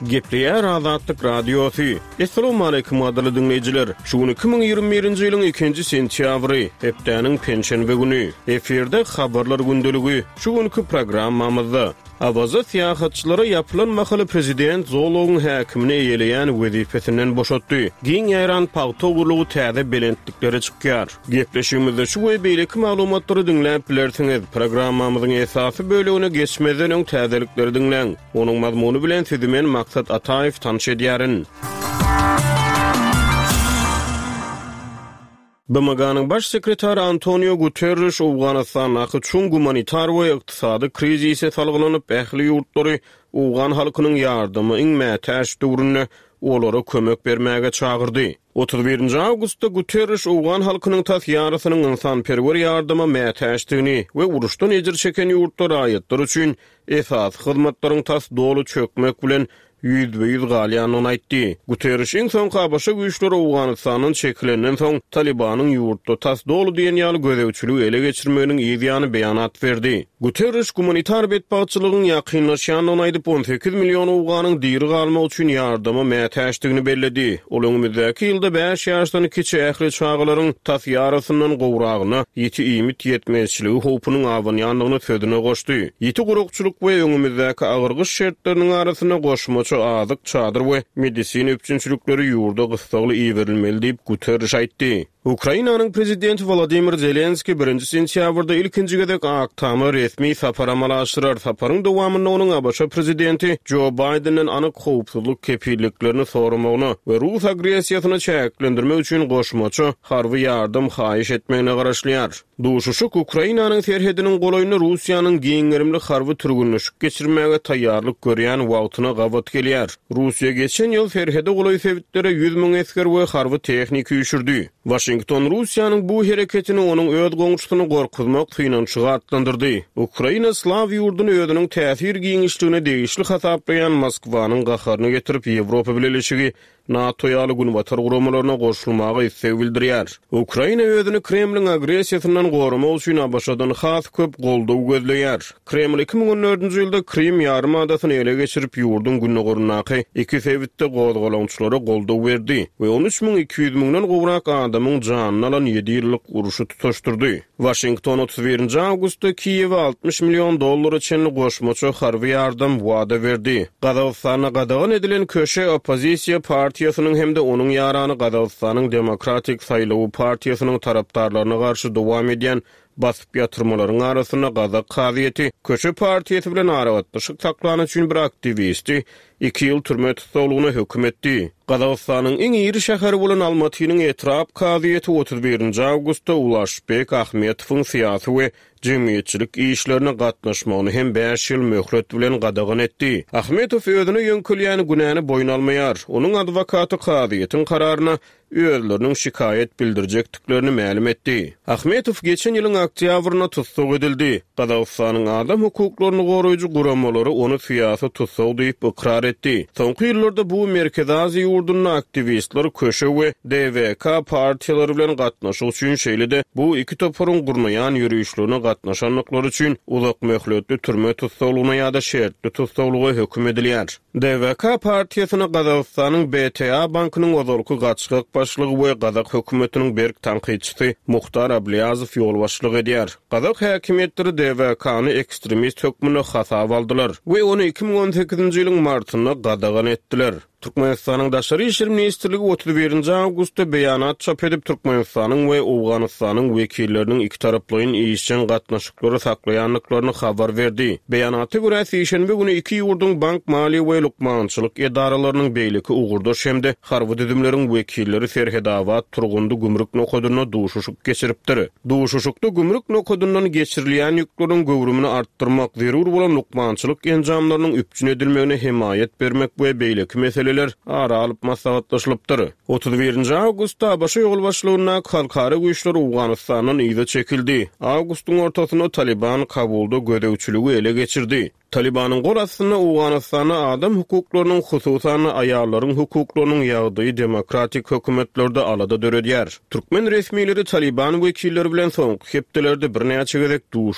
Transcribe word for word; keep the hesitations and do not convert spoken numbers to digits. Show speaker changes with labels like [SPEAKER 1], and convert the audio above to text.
[SPEAKER 1] Gepleýär Azatlyk Radiosy. Assalamualaikum gadyrly diňleýjiler. Şu gün iki müň ýigrimi birinji ýylyň ikinji sentýabry, hepdäniň penşenbe güni. Efirde habarlar gündeligi. Şu günki programmamyzda Awaza syýahatçylara ýapylan mahaly prezident zoologyň häkimini eýeleýän wezipesinden boşatdy. Giň ýaýran pagta ogurlygy täze belentliklere çykýar. Gepleşigimizde şu we beýleki maglumatlary diňläp bilersiňiz. Programmamyzyň esasy bölegine geçmezden öň täzelikleri diňläň. Onuň mazmuny bilen sizi men Maksat Ataýew tanyş edýärin. B M G-nyň baş sekretary Antonio Guterres Owganystandaky çuň gumanitar we ykdysady krizise salgylanyp, ähli ýurtlary Owgan halkynyň ýardymy iň mätäç döwründe olara kömek bermäge çagyrdy. Otuz birinji awgustda Guterres Owgan halkynyň tas ýarysynyň ynsanperwer ýardyma mätäçdigini we uruşdan ejir çeken ýurtlar raýatlar üçin esasy hyzmatlaryň tas doly çökmek bilen ýüzbe-ýüz galýandygyny aýtdy. Guterres iň soňky A B Ş güýçleri Owganystandan çekilenden soň Talibanyň ýurtda tas doly diýen ýaly gözegçiligi ele geçirmeginiň yz ýany beýanat berdi. Guterres gumanitar betbagtçylygyň ýakynlaşýandygyny aýdyp, on sekiz million Owganyň diri galmak üçin ýardyma mätäçdigini belledi. Ol öňümizdäki ýylda bäş ýaşdan kiçi ähli çagalaryň tas ýarysyndan gowragyna ýiti iýmit ýetmezçiligi howpunyň abanýandygyny sözüne goşdy. Ýiti gurakçylyk we öňümizdäki agyr gyş şertleriniň arasynda goşmaça azyk, çadyr we medisina üpjünçilikleri ýurda gyssagly iberilmeli diýip Guterres aýtdy. Ukrainanyň prezidenti Volodymyr Zelenski birinji sentýabrda ilkinji gezek Ak Tama resmi sapar amala aşyrar. Saparyň dowamynda onuň A B Ş prezidenti Joe Bidenden anyk howpsuzlyk kepilliklerini soramagyna we Rus agressiýasyny çäklendirmek üçin goşmaça harby ýardam haýyş etmegine garaşylýar. Duşuşyk Ukrainanyň serhediniň golaýynda Russiýanyň giň gerimli harby türgünleşik geçirmäge taýýarlyk görýän wagtyna gabat gelýär. Russiýa geçen ýyl serhede golaý sebitlere ýüz müň esger we harby tehniki üýşürdi. Washington Russiýanyň bu hereketini onuň öz goňşusyny gorkuzmak synanyşygy atlandyrdy. Ukraina Slaw ýurduny özüniň täsir giňişligine degişli hasaplaýan Moskwanyň gaharyny getirip Ýewropa Bileleşigi NATO ýaly günbatar guramalaryna goşulmaga isleg bildirýär. Ukraina özüni Kremliň agressiýasyndan goramak üçin A B Ş-dan has köp goldaw gözleýär. Kreml iki müň on dördünji ýylda Krim ýarymadasyny ele geçirip ýurduň gündogaryndaky iki sebitde gozgalaňçylara goldaw berdi we on üç müň iki ýüz müňden gowrak adamyň janyny alan ýedi ýyllyk uruşy tutaşdyrdy. Washington otuz birinji awgustda Kiýewe altmyş million dollara çenli goşmaça harby ýardam wada berdi. Gazagystanda gadagan edilen köşe oppozisiýa partiýasynyň hem-de onuň ýarany Gazagystanyň Demokratik Saýlawy partiýasynyň tarapdarlaryna garşy dowam edýän basyp ýatyrmalaryň arasynda Gazak kazyýeti köşe partiýasy bilen aragatnaşyk saklany üçin bir aktiwisti iki ýyl türme tussaglygyna höküm etdi. Gazagystanyň iň iri şäheri bolan Almatynyň etrap kazyýeti otuz birinji awgustda Ulaşbek Ahmetowyň syýasy we jemgyýetçilik işlerine gatnaşmagyny hem bäş ýyl möhlet bilen gadagan etdi. Ahmetow özüne ýöňkülýän günäni boýun almaýar. Onuň adwokaty kazyýetiň kararyna özleriniň şikaýat bildirjekdiklerini mälim etdi. Ahmetow geçen ýylyň oktýabrynda tussag edildi. Gazagystanyň adam hukuklaryny goraýjy guramalary ony syýasy tussag diýip ykrar etdi. Soňky ýyllarda bu Merkezi Aziýa ýurdunda aktiwistler köşe we D V K partiýalary bilen gatnaşyk üçin şeýle-de bu iki toparyň gurnaýan ýörişlerine gatnaşandyklary üçin uzak möhletli türme tussaglygyna ýa-da şertli tussaglyga höküm edilýär. D V K partiýasyna Gazagystanyň B T A bankynyň ozalky gaçgak başlygy we Gazak hökümetiniň berk tankytçysy Muhtar Ablýazow ýolbaşçylyk edýär. Gazak häkimiýetleri D V K-ny ekstremist hökmünde hasap aldylar we ony iki müň on sekizinji ýylyň martynda gadagan etdiler. Türkmenistanyň Daşary İşler Ministrligi otuz birinji awgustda beýanat çap edip Türkmenistanyň we Owganystanyň wekilleriniň iki taraplaýyn işjeň gatnaşyklary saklaýandyklaryny habar berdi. Beýanata görä sişenbe güni iki ýurduň bank, maliýe we lukmançylyk edaralarynyň beýleki ugurdaş hem-de harby düzümleriň wekilleri Serhedabat Turgundy gümrük nokadynda duşuşyk geçiripdir. Duşuşykda gümrük nokadyndan geçirilýän ýükleriň göwrümini artdyrmak, zerur bolan lukmançylyk enjamlarynyň üpjün edilmegine hemaýat bermek we beýleki meseleler ara alyp maslahatlaşylypdyr. Otuz birinji awgustda A B Ş ýolbaşçylygyndaky halkara güýçler Owganystandan yza çekildi. Awgustyň ortasynda Taliban Kabulda gözegçiligi ele geçirdi. Talibanyň gol astynda Owganystanda adam hukuklarynyň, hususan aýallaryň hukuklarynyň ýagdaýy demokratik hökümetlerde alada döredýär. Türkmen resmileri Taliban wekilleri bilen soňky hepdelerde birnäçe gezek duşuşdy.